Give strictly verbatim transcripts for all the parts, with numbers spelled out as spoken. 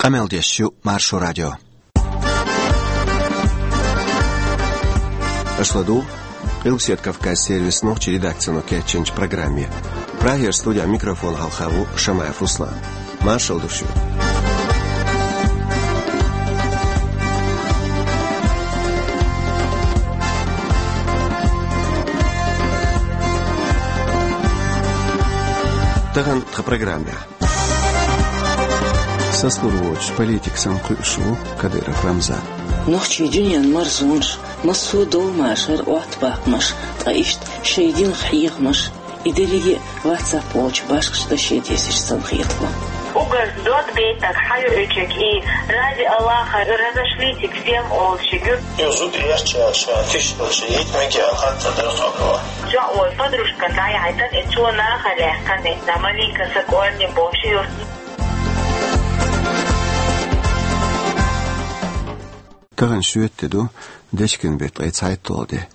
Къамел деш ю Маршо радио. Аша ладугӀу Къилбаседа Кавказ сервисан нохчийн редакцино кечйинчу программе. Прагера студехь микрофон хьалха ву Шамаев Руслан. Маршалла ду шуьга. Тахана тхан программехь. Сацалур воцуш политик санна кхуьуш ву Кадыров Рамзан. Нохчийн дуьненан марзонаш, массо а довла машар, оттабаккхамаш, ткъа иштта шайн динах хьехамаш, и дерриге а WhatsApp волчу башхаш даше дезаш санна хетало. Угар дод бейтаг хьайоьчуьг и ради Аллаха разошлитесь всем олучуьг. Иза зуда яьрча ша тиша йита мегий аьлла хатта дара хабро. Цо вай подружка дӀаяхьийтина, и цо наха лаьхкина, да маленько сакъорни бохуш юрт. Тахана шоьтан де ду, дечкен беттан ткъе цхьайтталгӀа де.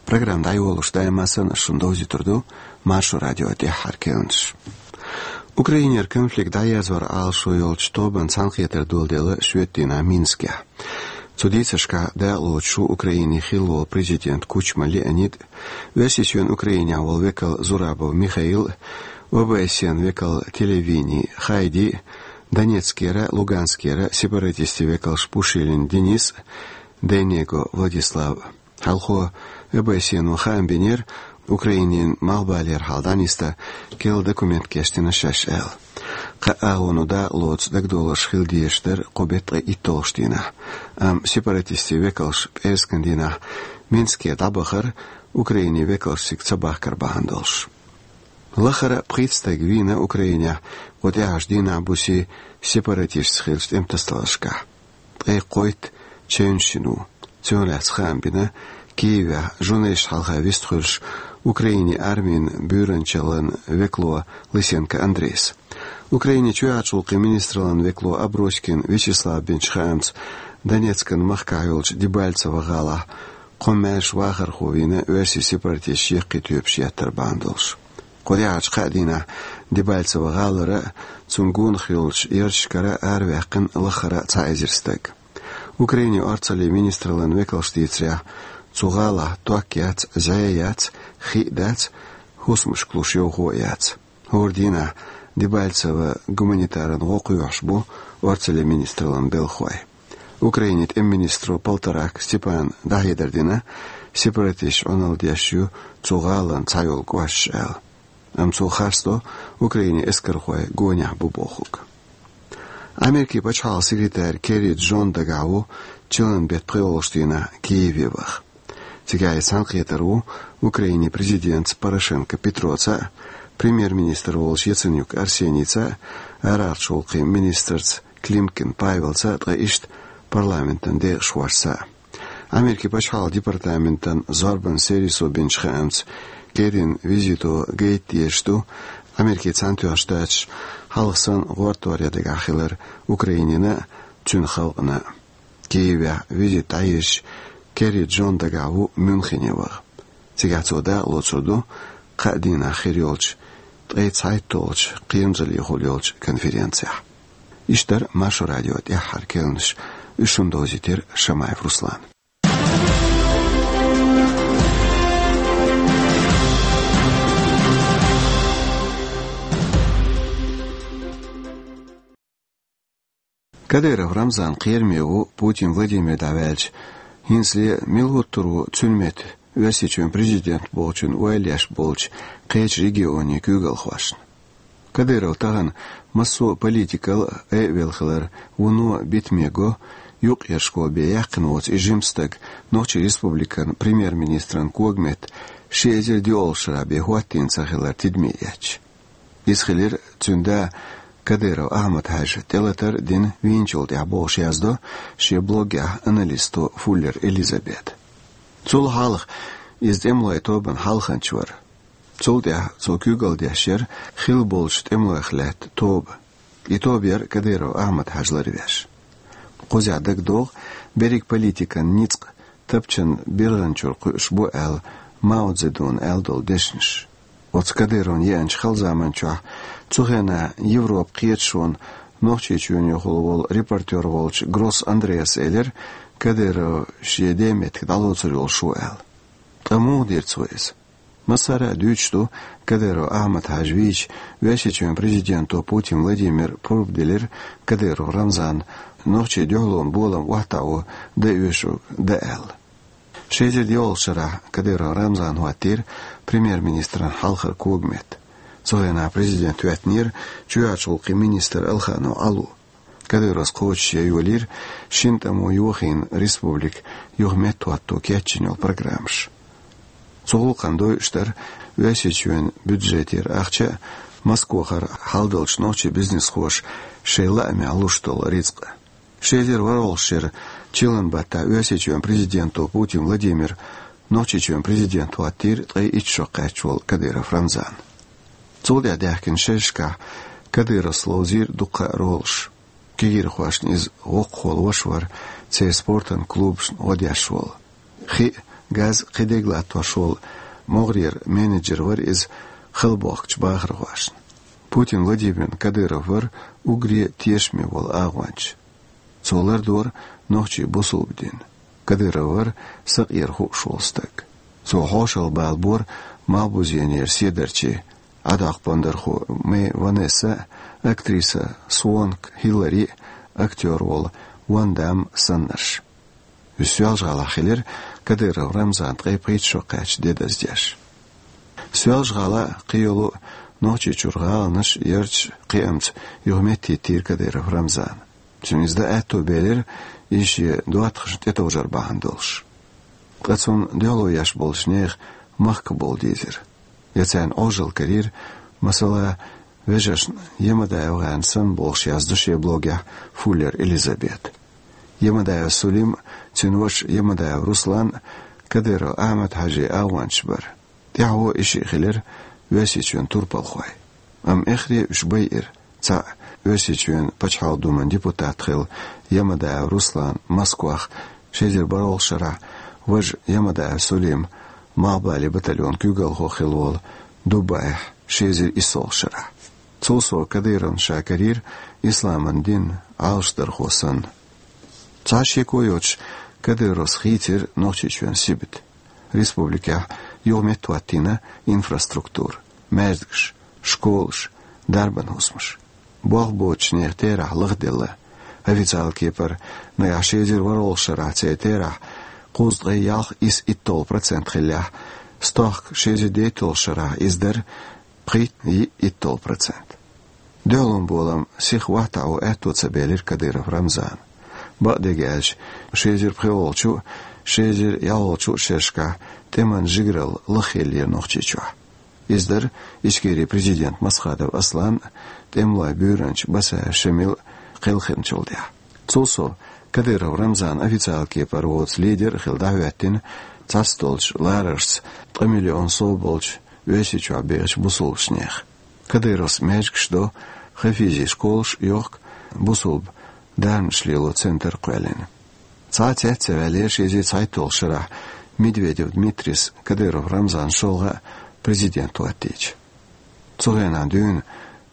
Программа дӀайолош даима санна ас шуна довзуьйтур ду Маршо радион тӀаьххьара керланаш. Украинера конфликт дӀаерзоран Ӏалашо йолчу тобанна цхьаьнакхетар доладелла шоьтан дийнахь Минскехь. Цу дийцаршкахь дакъалоцуш ву Украинин хилла волу президент Кучма Леонид, Оьрсийчоьнан Украинехь волу векал Зурабов Михаил, ОБСЕ-н векал телевидени Хайди, Донецкера, Луганскера сепаратистийн векалш Пушилин Денис, Дейнего Владислав. Хьалхо ОБСЕ-но хаам бинера, Украинин малхбалера хьал дӀанисдан керла документ кечдина шаьш аьлла. Кхаа агӀоно дакъалоцу дагадовларш хила дезаш дара кху беттан ткъе итталгӀачу дийнахь, амма сепаратистийн векалш пӀераскан дийнахь Минске дӀабахара, Украинин векалш цига ца бахкар бахьана долуш. Лахара а пхийтта стаг вийна Украинехь кху тӀаьхьарчу дийнахь-буса сепаратистца хиллачу тӀематасадаларшкахь. Ткъе кхойтта чевнаш йина ву. Цунах лаьцна хаам бина Киевехь журналисташна хьалха вистхуьлуш Украинин армин буьйранчаллин векало Лысенко Андрейс. Украинин чоьхьарчу гӀуллакхийн министраллин векало Аброськин Вячеслава бинчу хаамца, Донецкан махкахь йолчу Дебальцево гӀалахь кхо маьрша вахархо вийна оьрсийн сепаратисташа яккхий тоьпаш еттар бахьана долуш. Кху тӀаьхьарчу кхаа дийнахь Дебальцево гӀалара а, цунна гонах йолчу ярташкара а араваьккхина лахара а цхьа эзар стаг. Украинин орцаллин министраллин векалша дийцарехь, цу гӀалахь ток яц, зӀе яц, хи а дац, хӀусамашка луш йовхо а яц. ХӀора дийнахь Дебальцево гуманитаран гӀо кхоьхьуш бу орцаллин министраллин белхахой. Украинин тӀеман министро Полторак Степана дӀахьедар дина, сепаратисташа Ӏуналла деш ю цу гӀалин цхьайолу кӀошташ аьлла. Амма цо харцдо Украинин эскархой гонехь бу бохург. Америкин пачхьалкхан секретарь Керри Джон дагахь ву чиллан беттан пхоьалгӀачу дийнахь Киеве ваха. Цигахь и цхьаьнакхетар ву Украинин президентца Порошенко Петроца а, премьер-министр волчу Яценюк Арсенийца а, арахьарчу гӀуллакхийн министрца Климкин Павелца а, ткъа иштта парламентан декъашхошца а. Америкин пачхьалкхан департаментан зорбанан сервисо бинчу хаамца, Керрин визито гайта дезаш ду Америкин Цхьаьнатоьхначу Штаташ хьалха санна гӀортор ян дагахь хилар Украинина а, цуьнан халкъана а. Киевехь визит дӀаезча, Керри Джон дагахь ву Мюнхене ваха. Цигахь цо дакъалоцур ду кхаа дийнахь хир йолчу ткъе цхьайтталгӀачу кхерамзаллехула йолчу конференцехь. Иштта дара Маршо радион тӀаьххьара керланаш, уьш шуна довзийтира Шамаев Руслана. Кадыров Рамзан кхераме ву Путин Владимир дӀаваьлча, хӀинцале мила хӀуттур ву цуьнан метта Оьрсийчоьнан президент бохучун ойла еш болчу кхечу регионийн куьйгалхошна. Кадыров тахана массо а политикал айавелла хилар вуно битаме го, юккъерчу школе бен яьккхина воцу и жима стаг Нохчийн Республикан премьер-министран когаметта ши эзар диъолгӀачу шарахь бен хӀоттийна ца хилар тидаме эцча. Иза хилира цуьнан да Кадыров Ахьмад-Хьаьжа тӀелатар а дина вийначул тӀаьхьа бохуш яздо шен блогехь аналисто Фуллер Элизабета. Цул хьалха иза тӀемалойн тобанан хьалханча вара. Цул тӀаьхьа цо куьйгалла деш яра хилла болчу тӀемалойх лаьтта тоба. И тоба яра Кадыров Ахьмад-Хьаьжа ларвеш. Кхузахь дагадогӀу берриг политикан ницкъ тапчан биргӀанчуьра кхуьуш бу аьлла Мао Цзэдуна аьлла долу дешнаш. Оцу Кадыровна еанчу хала заманчохь цу хенахь Европан кхеташонан Нохчийчоьнан йохалла волу репортёр волчу Гросс Андреас элира, Кадыров шен ден меттиг дӀалоцур йолуш ву аьлла. Ткъа муха дира цо иза? Массара а дуьйцуш ду, Кадыров Ахьмад-Хьаьжа вийча, Оьрсийчоьнан президенто Путин Владимира пурба делира Кадыров Рамзанна нохчийн дуьхьалонан болам охьатаӀо дан оьшург дан аьлла. Ши эзар диъолгӀачу шарахь Кадыров Рамзан хӀоттийра премьер-министран хьалхара когаметта. Цу хенахь президент хӀоьттинера чоьхьарчу гӀуллакхийн министр Алханов Ӏало. Кадыровс кхочушъян йолийра шина тӀамо йохийна республика юха меттахӀотто кечйина йолу программаш. Цу гӀуллакхна дойуш дара Оьрсийчоьнан бюджетера ахча а, Москвахара хьалдолчу нохчийн бизнесхоша шайн лаамехь луш долу рицкъ а. Ши эзар ворхӀалгӀачу шеран чиллан баттахь Оьрсийчоьнан президенто Путин Владимира Нохчийчоьнан президент хӀоттийра ткъе итт шо кхаьчна волу Кадыров Рамзан. Цул тӀаьхьа даьхкина шерашкахь Кадыровс ловзийра дуккха а ролаш. Кегийрхошна иза воккхахволу ваша вара, церан спортан клубашна гӀо деш волу. Хи а, газ а кхидерг латтош волу могӀарера менеджер вара иза хала бохкучу бахархошна. Путин Владимирна Кадыров вара уггаре а тешаме волу агӀонча. Цо лардора нохчийн бусулба дин. Кадыров вара сакъера хууш волу стаг. Цо хьошалгӀа балабора малхбузенера седарчий, Ӏадоккху бондархо Мэй Ванесса а, актриса Суонг Хиллари а, актёр волу Ван Дамм саннарш. Уьш Соьлжа-ГӀалахь хилира Кадыров Рамзан ткъе пхийтта шо кхаьчна де даздеш. Соьлжа-ГӀала а, кхийолу а Нохчийчуьра гӀаланаш а ярташ а кхиамца юха меттахӀиттийра Кадыров Рамзана. Цуьнан иза дан аьтто белира, иза шен доттагӀашна тӀетовжар бахьана долуш. Ткъа цунна дуьхьало еш болчу нехан махкахь бовла дийзира. Я царна Ӏожалла карийра, масала, вежаршна Ямадаев-гӀеран санна бохуш яздо шен блогехь Фуллер Элизабета. Ямадаев Сулим а, цуьнан ваша Ямадаев Руслан а Кадыров Ахьмад-Хьаьжин агӀончаш бара. ТӀаьхьо и шиъ хилира Оьрсийчоьнан турпалхой. Амма эххаре уьш байира. Цхьаъ Оьрсийчоьнан Пачхьалкхан Думан депутат хилла Ямадаев Руслан Москвахь ши эзар бархӀалгӀачу шарахь, важа Ямадаев Сулим малхбален батальонан куьйгалхо хилла волу Дубайхь ши эзар иссалгӀачу шарахь. Цул сов Кадыровна ша карийра исламан дин Ӏалашдархо санна. Цхьа шеко йоцуш, Кадыровс хийцира Нохчийчоьнан сибат. Республикехь юха меттахӀоттийна инфраструктура, маьждигаш, школаш, дарбан хӀусамаш. Болх боцучу нехан терахь лахделла. Официалан кепара, нагахь ши эзар ворхӀалгӀачу шарахь церан терахь кхузткъе ялх исс итталгӀа процент хиллехь, стохка ши эзар дейтталгӀачу шарахь иза дара пхийтта йиъ итталгӀа процент. Дуьхьалонан болам сиха охьатаӀо аьтто ца белира Кадыров Рамзана. Бакъдерг аьлча, ши эзар пхоьалгӀачу а, ши эзар ялхалгӀачу а шерашкахь тӀеман жигаралла лаххеллера Нохчийчохь. Иза дара Ичкерин президент Масхадов Аслан а, тӀемалойн буьйранча Басаев Шамил а кхелхинчул тӀаьхьа. Цул сов, Кадыров Рамзан официалан кепара воцу лидер а хилла дӀахӀоьттина цхьацдолчу лараршца ткъа миллион сов болчу Оьрсийчохь бехачу бусулбачу нехан. Кадыровс маьждигаш до, хафизийн школаш а йохку, бусулба дарнаш лело центр а кхоьллина. Цхьа а цецваьллера ши эзар цхьайтталгӀачу шарахь Медведев Дмитрис Кадыров Рамзанан шолгӀа а президент хӀоттийча. Цу хенахь дуьйна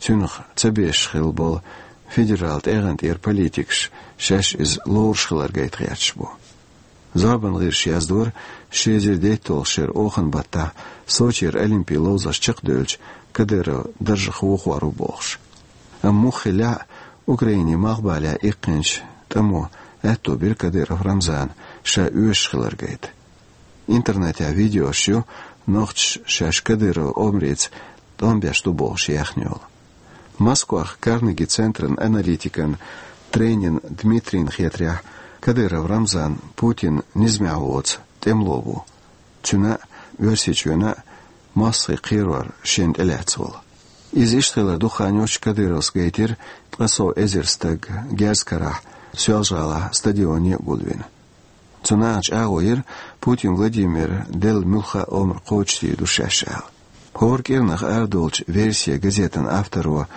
цуьнах ца безаш хилла болу федералан тӀегӀан тӀера политикаш шаьш иза лоруш хилар гайта гӀерташ бу. Зорбан гӀирсаша яздора, ши эзар дейтталгӀачу шеран охан баттахь Сочера олимпийн ловзарш чекхдевлча Кадыров даржах вохор ву бохуш. Амма муха хиллехь а, Украинин малхбалехь иккхинчу тӀамо аьтто бира Кадыров Рамзана ша оьшуш хилар гайта. Интернетехь видеош ю, нохчаша шаьш Кадыровн омрица тӀом беш ду бохуш яьхна йолу. Москвахь Карнеги центран аналитикан Тренин Дмитрийна хетарехь, Кадыров Рамзан Путинна низамехь воцу тӀемало ву. Цуьнан а, Оьрсийчоьнан а мостагӀийн кхерор шена тӀелаьцна волу. Иза иштта хилар дукха хан йоццуш Кадыровс гайтира ткъа сов эзар стаг герз карахь Соьлжа-ГӀалахь стадионе а гулвина. Цу нахана чӀагӀо йира Путин Владимира делла муьлхха а омра кхочушдийр ду шаьш аьлла. ХӀора кӀирнах арадолучу «Версия» газетан авторо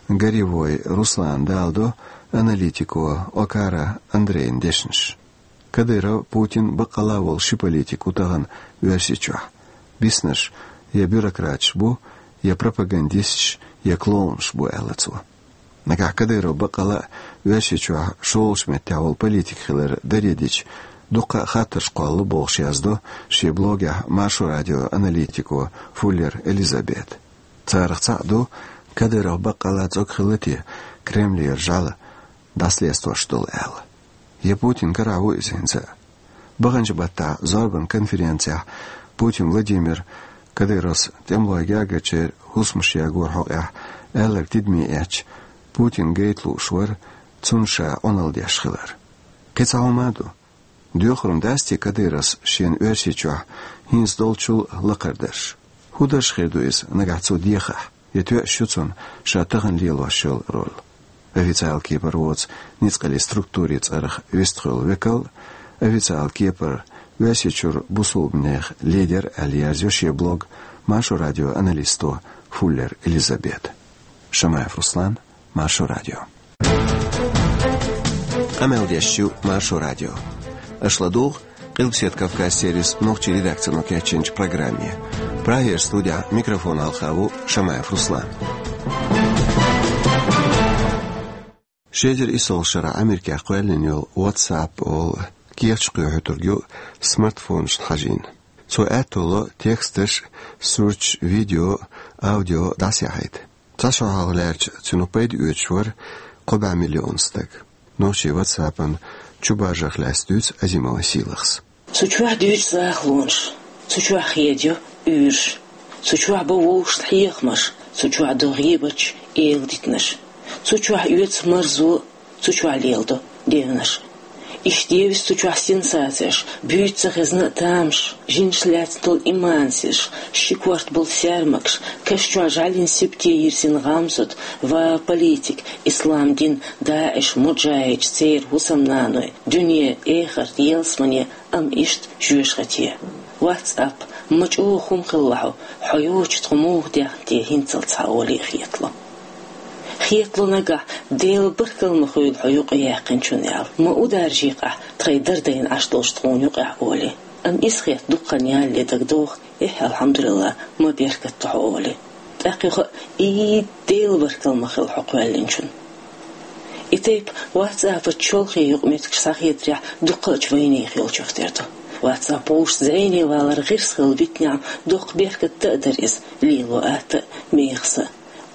Горевой Руслана даладо аналитико Окара Андрейн дешнаш. Кадыров, Путин баккъалла а волу ши политик ву тахана Оьрсийчохь. Биснарш я бюрократаш бу, я пропагандисташ, я клоунаш бу, аьлла цо. Нагахь Кадыров бакъала а Оьрсийчохь шолгӀачу меттехь волу политик хилар даре дича, дуккха а хаттарш кхоллало бохуш яздо шен блогехь Маршо радион аналитико Фуллер Элизабет. Царах цхьаъ ду, Кадыров баккъала а цӀога хилла те Кремлера жӀаьла дӀасалестош долу аьлла. Я Путин карахь ву иза хӀинца а? Баханчу баттахь зорбан конференцехь Путин Владимир Кадыровс тӀемалойн гергарчеран хӀусамаш ягоран хьокъехь аьлларг тидаме эцча, Путин гайта лууш вара цунна ша Ӏуналла деш хилар. Кхин цхьа хӀума а ду. Доьхур ма дац те Кадыровс шена Оьрсийчохь хӀинца долчул лакхара дарш? ХӀун дарж хир ду иза нагахь цо дехахь? Я тоьуш ю цунна ша тахана лелош йолу роль? Официалан кепара воцу ницкъаллин структурийн цӀарах вистхуьлу векал, официалан кепара Оьрсийчуьра бусулбанех лидер аьлла ерзайо шен блог Маршо радион аналитико Фуллер Элизабет. Шамаев Руслан, Маршо радио. Къамел деш ю Маршо радио. Аша ладугӀу Къилбаседа Кавказ сервисан нохчийн редакцино кечйинчу программе. Прагера студехь микрофон хьалха ву Шамаев Руслан. Ши эзар исс шарахь Америкехь кхоьллина йолу WhatsApp олу кехаташ кхоьхьуьйтург ю смартфонашна хьажийна. Цо аьтто ло тексташ, сурташ, видео, аудио дӀасаяхьийта. Цхьа шо хьалха лаьрча цуьнан пайда оьцуш вара кхо бӀе миллион стаг. Нохчийн WhatsApp-ан чубаржарх лаьцна дуьйцу Азимова Сийлахьс. Цу чохь дуьйцу захалонаш, цу чохь хедайо уьйраш, цу чохь бо вовшашна хьехамаш, цу чохь до гӀийбаташ, эладитанаш, цу чохь оьцу марзо, цу чохь леладо девнаш. Иштта евза цу чохь сенсацеш, буьйцу ца хезна а тамаш, жинаш лаьцна долу имансеш, ши корта болу саьрмагаш, каш чохь жӀаьлин сибате йирзина гӀамсат ва политик, ислам дин, ДаӀиш, муджахӀидаш, церан хӀусамнаной, дуьне, эхарт, ялсамане, амма иштта жоьжахати. WhatsApp, ма чӀогӀа хӀума хилла хьо, хьо йоцчу тхо муха дехна те хӀинццалц хьан олий а хетало. Хетало нагахь, Делан баркалла ма хуьлда хьо юкъаяьккхинчунна аьлла, ма ударжий-кх ахь тхайн дардайна Ӏаш долчу тхуна юкъахь олий. Амма иза хетта дуккха ялале дагадогӀу, эхь, алхьамдулиллахӀ, ма беркат ду хьо олий. ТӀаккха юха а, и, Делан баркалла ма хуьлда хьо кхоьллинчунна. И тайпа WhatsApp-ан чолхе юкъаметтигаш схьахетарехь дуккхачу вайнехан йолчух тера ду. WhatsApp вовшашца зӀене валар гӀирс хилла витинехь доккха беркат дан а дара иза, лело атта а, мехаса а.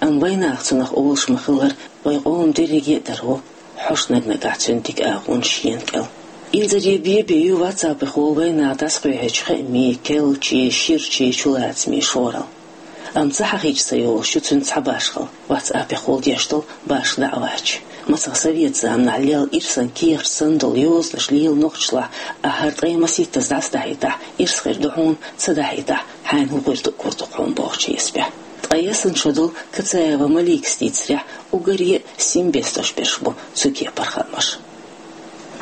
Амма вайнаха цунах олуш ма-хиллара, вайн къоман дерриге а дара ву, хьожуш наг-нагахь цуьнан дика агӀонаш шена кӀел. Инзаре бен-бен ю WhatsApp-ехула вайнаха дӀасакхоьхьуьйтуш хаамийн, керлачийн, ширачийн чулацамийн шоралла. Амма ца хьахийча ца йолуш ю цуьнан цхьа башхалла, WhatsApp-ехула деш долу башха даӀваташ. Мацах совет заманахь лелла ирсан кехаташ санна долу йозанаш лела нохчашлахь, ахь хӀара ткъе масийттаза дӀасадахьийтахь, ирс хир ду хьуна, ца дахьийтахь, хьайна хӀун хир ду, гур ду хьуна бохучу хьесапехь. Ткъа ясна шо долу Кацаева Маликас дийцарехь, уггаре а сим бесташ берш бу цу кепара хаамаш.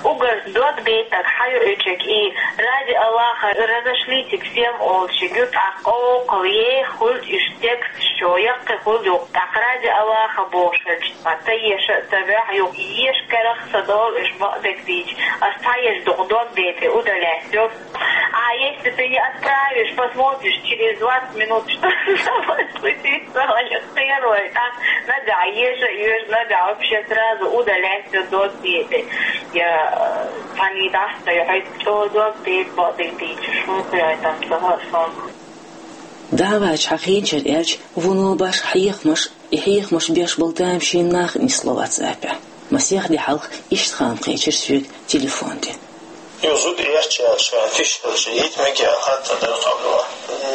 Уггар дог бейтарг хьан ю, эчиг и: «Ради Аллаха, разошлите всем», олучу гуьртӀахь къовкъал еха хуьлда уьш текст чу, яккхий хуьлда юкъа. ТӀаккха «Ради Аллаха» бохуш хилча, ма ца еша а ца ваьхьа юкъа, еша карах ца долу уьш бакъдерг дийча, ас цхьа еза дукха дог бейтар удалять йо. А если ты не отправишь, посмотришь, через двадцать минут, что с тобой случится, ваня кхерой, а? Нагахь еша а йоьшу, нагахь вообще сразу удалять всё, дог бейтар. Я, э, цхьаьна дӀа ца йохьуьйту, чӀогӀа дог бейтар бакъдерг дийча, шун кхерой там ца хаьа сон. ДаӀваташ хьахийначара аьлча, вуно башха хьехамаш, и хьехамаш беш болу тамашийна нах а нисло WhatsApp-ехь. Масех де хьалха иштта хаам кхечира соьга телефон тӀе. Йо, зуда эрча аьлча, тиша аьлча, йита мегий аьлла хаттар дара тхо дуьхьа.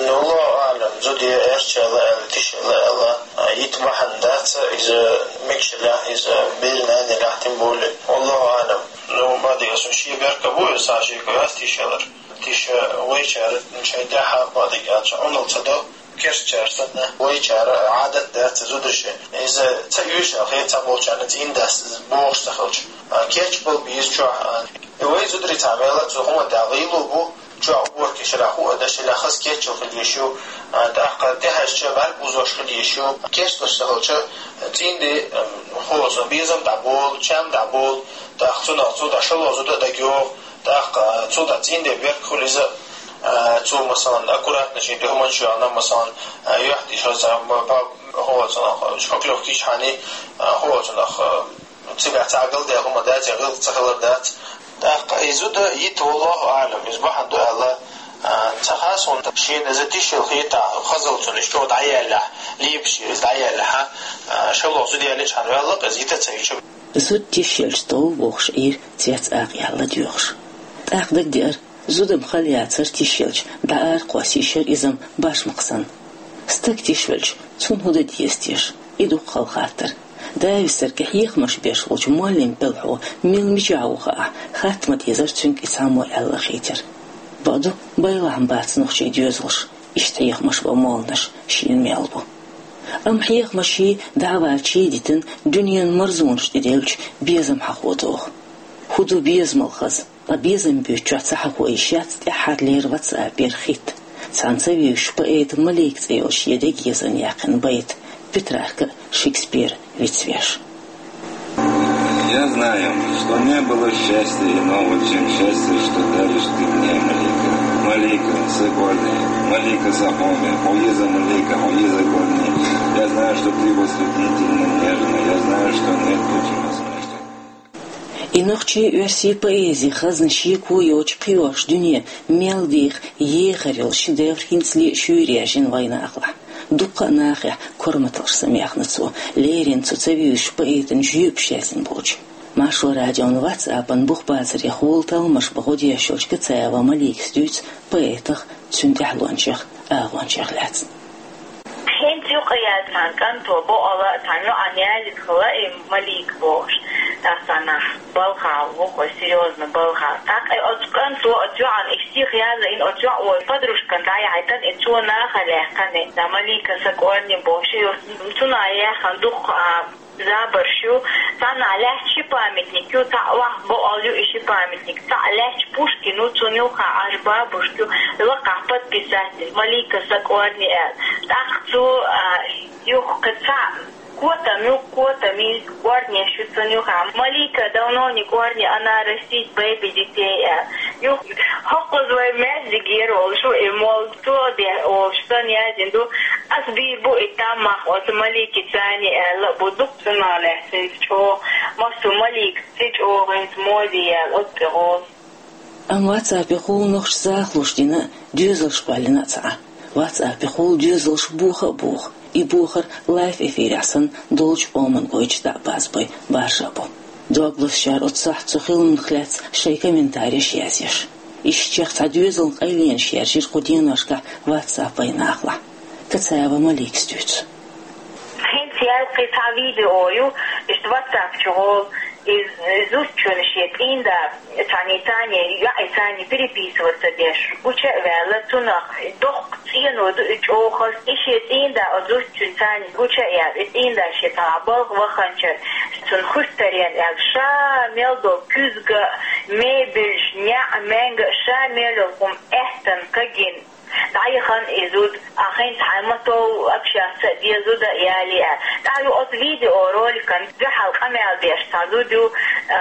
Ну, Аллаху аълам, зуда я эрча аьлла аьлла, тиша аьлла аьлла, а, йита бахьана дац иза, мегаш елахь иза, беран нана елахь, тем более. Аллаху аълам. Ну, бакъдерг, аса шен беркат бу иза, сан шеко яц тиша аьлларг. Тиша вайчара шайн тӀаьхьа, бакъдерг аьлча, Ӏуналла ца до. Керстачара санна, вайчара Ӏадат дац зударшна. Иза ца оьшу аьлла хета цхьаболчарна, цӀийнда дац бохуш ца хилча. А, кечбала беза чохь, а, и вай зударий цхьа мел а цу хӀуманна тӀехь гӀийла бу, чохь уборка еш елахь, хӀуъа деш елахь, хаза кечъяла хила езаш ю, а, тӀаккха тӀехьаьжча бӀаьрг бузош хила езаш ю. Керсталуш ца хилча, цӀийнда, м, хӀоза безам дӀаболу, чам дӀаболу, тӀаккха цунах цу дӀа шало зуда а дагайогӀу. ТӀаккха цу тӀа цӀийнда беркат хуьлу иза, а, цо, масалан, аккуратно шен дуьхьа ма чу яхна, масалан, а, юьхь тӀе шозза, м, па-, ХӀоцунах шпаклёвка дичхьани, хӀоцунах цигахь цхьа гал дехума дац, я гӀилла ца хилар дац. ТӀаккха и зуда йита, валлаху аӀлам, иза бахьана ду аьлла, ца хасхунта шена иза тишшел хетахь, хазалцун иш чӀо дӀаяллахь, лебаш иза дӀаяллахьа, шалох зуда яллачхьана ваьлла, иза йита ца йича. Зуда тишшелча товла бохуш Ӏийра цец акъ ялла доьхуш. ТӀаккха дагадеара, зудам хала яцара тишшелча, дӀа ара кхосса йиш яра изам башмакъ санна. Стаг тишвелча, цунна хӀун дан деза теша? И дукха хала хаттар. Дависарга хьехамаш беш волчу моллин пӀелхьо мила мичахь ву хаахь, хатта ма дезара цуьнга и цхьаммо аьлла хетира. Бакъду, байлахь-м бац нохчийн доьзалш, иштта хьехамаш бан молланаш шена мел бу. Амма хьехамаший, дӀавалчий дитина дуьненан марзонаш тӀеделлачу безам хьахо догӀу. ХӀун ду безамал хаза? Ткъа безам буьйцучохь ца хьахо йиш яц тӀаьххьарлера ватсапера хитта, цхьана ца вевзачу поэта Малика цӀе йолчу шен дега езана яьккхина байт Петрарка а, Шекспир а вицвеш. Я знаю, что не было счастья иного, чем счастье, что даришь ты мне, Малика. Малика, сакъорни, Малика сакъорни, хьо еза Малика, хьо еза корни. Я знаю, что ты восхитительно нежна, я знаю, что нет лучшего смешна. И нохчийн, оьрсийн поэзин хазна шеко йоцуш кхиош дуьне мел деха ехар йолу шедевр хӀинцале а шуьйра яьржина вайнахалахь. Дуккха а нахехь корматаллаш самаьхна цо, леррина цо ца вевзачу поэтан жоьпаш язйина болчу. Маршо радион ватсапан бух бацарехула талламаш бан гӀо деш йолчу Кацаева Маликас дуьйцу поэтах, цуьнан тӀаьхьалончех, агӀончех лаьцна. ХӀинца юкъа яьлла цхьана кӀанто бохула, цхьана йоӀана язйина хилла и Малика бохуш, тӀаккха цхьана балхахь ву хӀо, серьёзно балхахь. ТӀаккха и оцу кӀанто оцу йоӀана и стих язйина, оцу йоӀа подружкана дӀаяхьийтина, и цо нахала яьккхина, да, Малика сакъорни бохуш, и цунах яьхна дуккха а забарш ю. Цхьаннахь лаьтташ ши памятник ю, цхьаъ охьа бохула ю и ши памятник, цхьаъ лаьтташ Пушкин ву, цунна юххехь Ӏаш бабушка ю, лакхахь подписатель, Малика сакъорни аьлла. ТӀаккха цо, а, юха кхин цхьаъ котам ю, котамийн корнеш ю цунна юххехь. Малика давно не корни, она растит бэйби детей аьлла. Юха хӀокхуза вай маьждигера волуш ву и молла. Цо дехь олуш санна язйина ду, ас бийр бу и таммах оцу Маликица аьлла а бу, дукха цунах лаьцна хӀинца чӀогӀа, массо а Маликица чӀогӀа хӀинца моде яьлла оцу тӀе гӀолу. Амма ватсапехула нохчаша захалуш дина а, доьзалш кхоьллина а ца Ӏа. Ватсапехула доьзалш боха а боху. И бохар лайв эфирехь санна долчу къоман гойтуш дӀа а базбай баржа а бу. Дог лозучара оццахь цу хиламах лаьцна шайн комментареш язъеш. Ишттачех цхьа доьзална къайленаш яьржира кху деношкахь ватсап вайнахалахь. Кацаева Маликас дуьйцу. ХӀинца яьлла кхин цхьа видео ю, иштта ватсап чу гӀолу, и зудчунна шен цӀийнда цхьаьнний цхьаьнний, йоӀий цхьаьнний переписываться деш гуча а ваьлла, цунах доккха цӀено ду и чӀогӀа хаза, и шен цӀийнда оцу зудчуьнца цхьаьнний гуча а яьлла, и цӀийнда шен цхьа балха ваханчара, цунна хуьттаренна аьлла, ша мел долу куьзга, мебельш, неӀ, маьнга, ша мел йолу хӀума аьттан кагийна дӀаяхана и зуда, а хӀинца хьайн ма тов общаться а де зуда а яле а. ТӀаккха ю оцу видеороликан дуьхьал къамел деш цхьа зуда ю, а,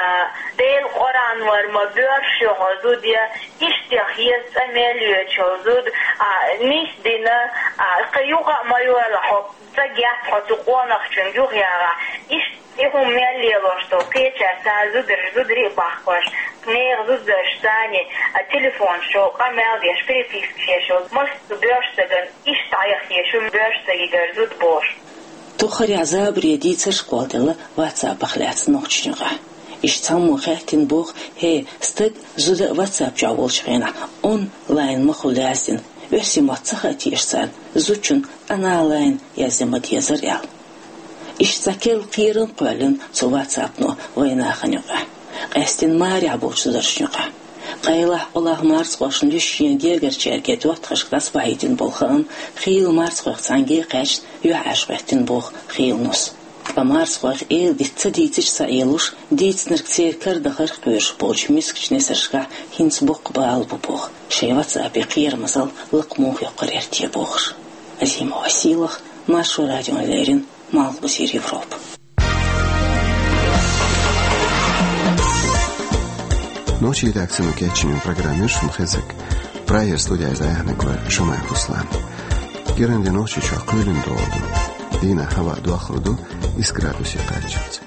Делан Къуръан вара ма боьрша ю хьо зуда я, иштех еза цӀа мел йоьдуш йолу зуда, а, нис дина, а, кхин юкъа а ма йолахь хьо, ца гетта хьо цу къонахчуьнга юхаягӀахь, иштта и хӀума мел лелош долу кхечара цара зударш, зударий а бахкош, нехан зударшца цхьаьнний, а, телефонаш чу къамел деш, перепискаш еш йолу массо а боьрша стагана иштта дӀаяхъеш ю боьрша стагигара зуда бохуш. Тоххарехь забаре дийцарш кхолладелла ватсапах лаьцна нохчашна юкъахь. Иштта цхьаммо хаьттина боху, хӀей, стаг, зуда ватсап чохь волчу хенахь онлайн ма хуьлу яздина, оьрсийн мотт ца хаьа теша царна, зудчунна онлайн язъян ма дезара аьлла. Иштта цхьа керла кхерам кхоьллина цу ватсапно вайн нахана юкъахь, къаьстина марехь болчу зударшна юкъахь. Къайлаха, олахь марзхошна дуьсуш шен гергарчаьрга доттагӀашка дӀасабахьийтина болу хаам хийла марзхойх цхьаьнге а кхаьчна, юьхьӀаьржа хӀоьттина боху хийла нус. Ткъа марзхойх эладита ца дийцича ца Ӏелуш, дийцинарг церан кара дахарх кхоьруш болчу мискачу несаршкахь хӀинца боккха бала бу боху шайн ватсапе кхерамазалла лакха муха йоккхур яра те бохуш. Азимова Сийлаха, Маршо радиона леррина, Малхбузера Европа. Нохчийн редакцино кечйина программа яра шуна хезарг. Прагера студехь иза дӀаяьхьнарг вара Шамаев Руслан. КӀиранде Нохчийчохь кхоьлина догӀу ду. Дийнахьа хӀаваъ доахаргда исс градусе кхаччалца.